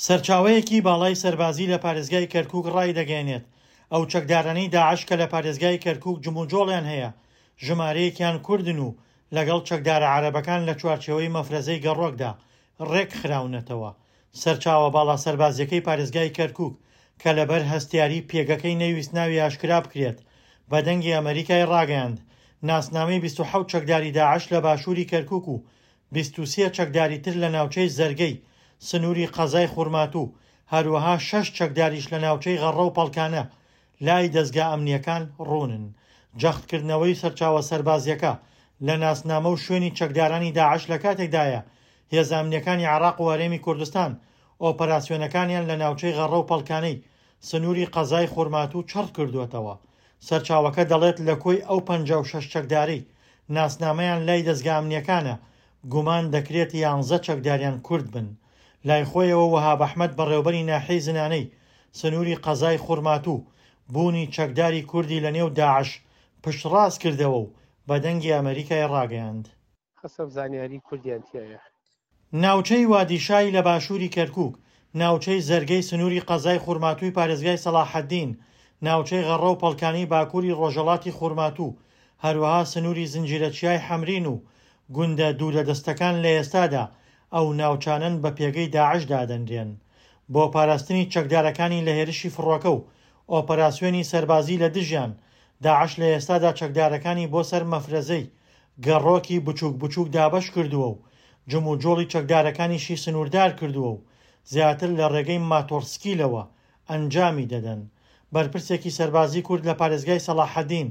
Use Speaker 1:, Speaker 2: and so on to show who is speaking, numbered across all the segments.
Speaker 1: سەرچاوەیەکی باڵای سەربازی لە پارێزگای کەرکوک ڕایدەگەیەنێت، ئەو چەکدارانەی داعش کە لە پارێزگای کەرکوک جموجۆڵیان هەیە، ژمارەیەکیان کوردن و لەگەڵ چەکدارە عەرەبەکان لە چوارچێوەی مەفرەزەی گەڕۆکدا ڕێکخراونەتەوە. سەرچاوە باڵا سەربازییەکەی پارێزگای کەرکوک کە لەبەر هەستیاری پێگەکەی نەیویست ناوی ئاشکرا بکرێت، بە دەنگی ئەمەریکای ڕاگەیاند، ناسنامەی 27 چەکداری داعش لە باشووری کەرکوک و 23 چەکداری تر لە ناوچەی زەرگەی سنووری قەزای خورماتوو، هەروەها شەش چەکداریش لە ناوچەی غەڕە و پەڵکانە لای دەزگا ئەمنییەکان ڕوونن. جەختکردنەوەی سەرچاوە سەربازییەکە لە ناسنامە و شوێنی چەکدارانی داعش لە کاتێکدایە هێزە ئەمنییەکانی عێراق و هەرێمی کوردستان ئۆپەراسیۆنەکانیان لە ناوچەی غەڕە و پەڵکانەی سنووری قەزای خورماتوو چڕ کردووەتەوە. سەرچاوەکە دەڵێت لە کۆی ئەو 56 چەکدارەی ناسنامەیان لای دەزگا ئەمنییەکانە، گومان دەکرێت یانزە چەکداریان کورد بن. لای خۆیەوە وەهاب ئەحمەد بەڕێوبەری ناحیەی زنانەی سنووری قەزای خورماتوو بوونی چەکداری کوردی لەنێو داعش پشتڕاست کردەوە و بە دەنگی ئەمەریکای ڕاگەیاند.
Speaker 2: حەسەب زانیاری کوردیان تیایە.
Speaker 1: ناوچەی وادی شای لە باشووری کەرکووک، ناوچەی زەرگەی سنووری قەزای خورماتووی پارێزگای سەڵاحەدین، ناوچەی غەڕە و پەڵکانی باکووری ڕۆژهەڵاتی خورماتوو، هەروەها سنووری زنجیرە چیای حەمرین و گوندە دوورەدەستەکان لە ئێستادا ئەو ناوچانەن بە پێگەی داعش دادەنرێن بۆ پاراستنی چەکدارەکانی لە هێرشی فڕۆکە و ئۆپەراسیۆنی سەربازی لە دژیان. داعش لە ئێستادا چەکدارەکانی بۆ سەر مەفرەزەی گەڕۆکی بچووک بچووک دابەش کردووە و جموجۆڵی چەکدارەکانیشی سنووردار کردووە و زیاتر لە ڕێگەی ماتۆڕسکیلەوە ئەنجامی دەدەن. بەرپرسێکی سەربازی کورد لە پارێزگای سەڵاحەدین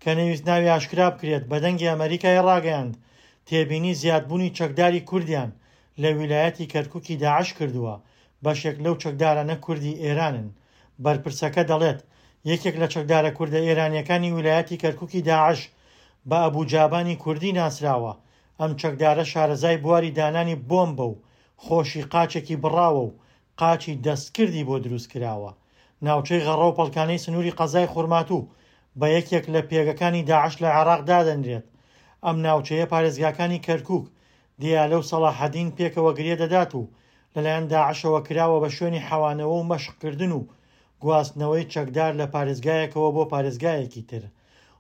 Speaker 1: کە نەیویست ناوی ئاشکرا بکرێت بە دەنگی ئەمەریکای ڕاگەیاند تێبینی زیادبوونی چەکداری کوردیان لە ویلایەتی کەرکوکی داعش کردووە، بەشێک لەو چەکدارانە کوردی ئێرانن. بەرپرسەکە دەڵێت، یەکێک لە چەکدارە کوردە ئێرانییەکانی ویلایەتی کەرکوکی داعش بە ئەبو جابانی کوردی ناسراوە، ئەم چەکدارە شارەزای بواری دانانی بۆمبە و خۆشی قاچێکی بڕاوە و قاچی دەستکردی بۆ دروستکراوە. ناوچەی غەڕە و پەڵکانەی سنووری قەزای خورماتوو بە یەکێک لە پێگەکانی داعش لە عێراق دادەنرێت. ئەم ناوچەیە پارێزگاکانی کەرکوک، دیالە و سەڵاحەدین پێکەوە گرێ دەدات و لەلایەن داعشەوە کراوە بە شوێنی حەوانەوە و مەشقکردن و گواستنەوەی چەکدار لە پارێزگایەکەوە بۆ پارێزگایەکی تر.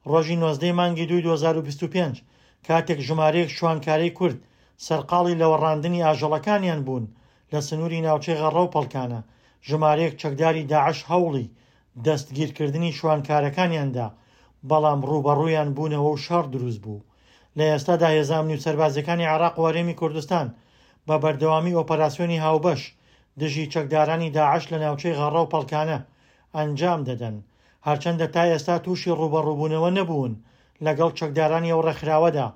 Speaker 1: ڕۆژی 19 ی مانگی دووی 2025 کاتێک ژمارەیەک شوانکارەی کورد سەرقاڵی لەوەڕاندنی ئاژەڵەکانیان بوون لە سنووری ناوچەی غەڕە و پەڵکانە، ژمارەیەک چەکداری داعش هەوڵی دەستگیرکردنی شوانکارەکانیان دا، بەڵام ڕووبەڕوویان بوونەوە و شەڕ دروست بوو. لە ئێستادا هێزە ئەمنی و سەربازییەکانی عێراق و هەرێمی کوردستان بە بەردەوامی ئۆپەراسیۆنی هاوبەش دژی چەکدارانی داعش لە ناوچەی غەڕە و پەڵکانە ئەنجام دەدەن، هەرچەندە تا ئێستا تووشی ڕووبەڕووبوونەوە نەبوون لەگەڵ چەکدارانی ئەو ڕێکخراوەدا،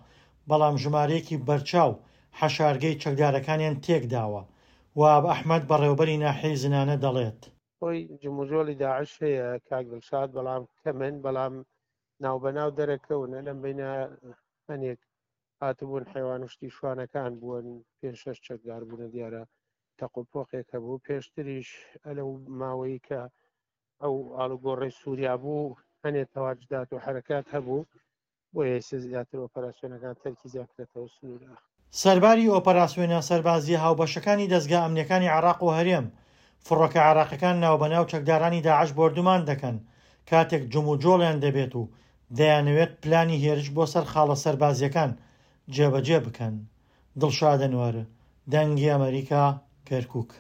Speaker 1: بەڵام ژمارەیەکی بەرچاو حەشارگەی چەکدارەکانیان تێکداوە. وەهاب ئەحمەد بەڕێوەبەری ناحیەی زنانە دەڵێت.
Speaker 2: خۆی جموجۆڵی داعش هەیە کاک دڵشاد بەڵام کەمن بەڵام ناوبەناو دەرەکەونە لەم بینە هەنێک هاتبوون حیوان و شتی شوانەکان بوون پێ شەش چەکدار بوونە دیارە تەق و پۆقێک هەبوو پێشتریش ئەلەو ماوەی کە ئەو ئاڵوگۆڕی سووریا بوو هەنێ تەواجدات و حرەکات هەبوو بۆیە ئێستا زیاتر ئۆپەراسیۆنەکان تەرکیزیان کرێتەوە سنوورە.
Speaker 1: سەرباری ئۆپەراسیۆنە سەربازییە هاوبەشەکانی دەزگا ئەمنییەکانی عێراق و هەرێم، فڕۆکە عێراقیەکان ناوبەناو چەکدارانی داعش بۆردومان دەکەن کاتێک جموجۆڵیان دەبێت و دەیانەوێت پلانی هێرش بۆ سەر خاڵە سەربازییەکان جێبەجێ بکەن. دڵشاد ئەنوەر، دەنگی ئەمەریکا، کەرکوک.